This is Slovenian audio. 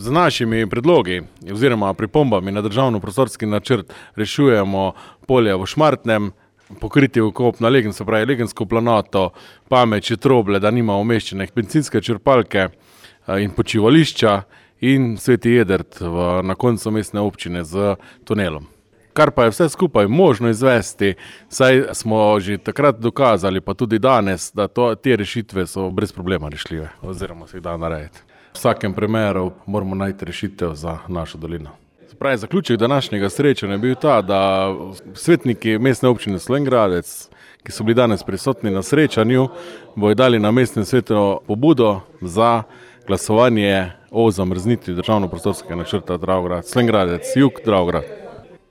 Z našimi predlogi oziroma pripombami na državno prostorski načrt rešujemo polje v Šmartnem, pokriti vkop na Legen, se pravi Legensko planoto, Pameč, Troble, da nima umeščene bencinske črpalke in počivališča in Sveti Jedrt na koncu mestne občine z tunelom. Kar pa je vse skupaj možno izvesti, saj smo že takrat dokazali, pa tudi danes, da te rešitve so brez problema rešljive oziroma se jih da narediti. V vsakem primeru moramo najti rešitev za našo dolino. Pravi zaključek današnjega srečanja je bil ta, da svetniki mestne občine Slovenj Gradec, ki so bili danes prisotni na srečanju, bodo dali na mestnem svetu pobudo za glasovanje o zamrznitvi državno prostorskega načrta Slovenj Gradec, jug Dravograd.